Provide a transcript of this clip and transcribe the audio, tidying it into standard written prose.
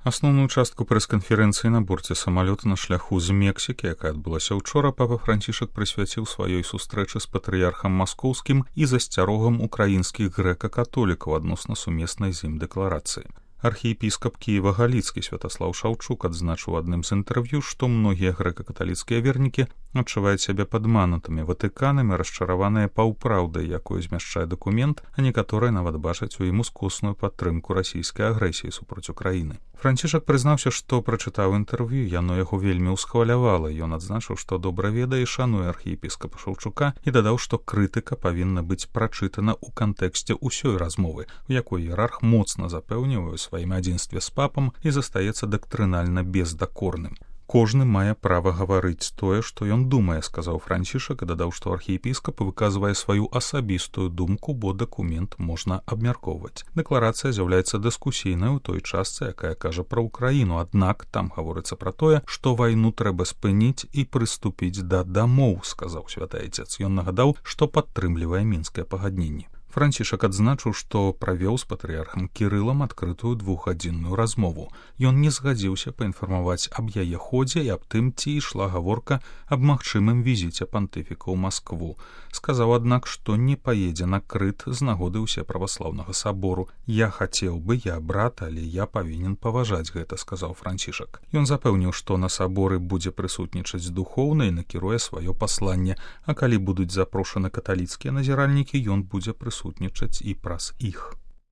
Асноўную частку прэс-канферэнцыі на борце самалёта на шляху з Мексікі, якая адбылася ўчора, папа Францішак прысвяціў сваёй сустрэчы з патрыярхам маскоўскім і засцярогам украінскіх грэка-католікаў адносна сумеснай з ім дэкларацыі. Архіепіскап Кіева Галіцкі Святаслаў Шаўчук адзначыў адным з інтэрв'ю, што многія грэка-каталіцкія вернікі адчуваюць сябе падманутымі Ватыканам і расчараваныя паўправдай, якую змяшчае дакумент, а некаторыя нават бачаць у ім ускосную падтрымку расійскай агрэсіі супраць Украіны. Францішак прызнаўся, што прачытаў інтэрв'ю, яно яго вельмі ўсхвалявала. Ён адзначыў, што добра ведае і шануе архіепіскапа Шаўчука і дадаў, што крытыка павінна быць прачытана ў кантэксце ўсёй размовы, у якой іерарх моцна запэўнівае сваім адзінстве з папам і застаецца дактрынальна бездакорным. Кожны мае права гаварыць тое, што ён думае, сказаў Францішак і дадаў, што архіепіскап выказвае сваю асабістую думку, бо дакумент можна абмяркоўваць. Дэкларацыя з'яўляецца дыскусійнай у той частцы, якая кажа пра Украіну, аднак там гаворыцца пра тое, што вайну трэба спыніць і прыступіць да дамоў, сказаў святы айцец. Ён нагадаў, што падтрымлівае мінскае пагадненне. Францішак адзначыў, што правёў з патрыярхам Кірылам адкрытую двухгадзінную размову. Ён не згадзіўся паінфармаваць аб яе ходзе і аб тым, ці ішла гаворка аб магчымым візіце пантыфіка ў Маскву. Сказаў, аднак, што не паедзе на Крыт з нагоды ўсеправаслаўнага сабору. «Я хацеў бы, я брат, але я павінен паважаць гэта», сказаў Францішак. Ён запэўніў, што на саборы будзе прысутнічаць духоўна і накіруе сваё пасланне, а калі будуць запрошаны каталіцкія назіральнікі, ён будзе прысутнічаць і праз іх.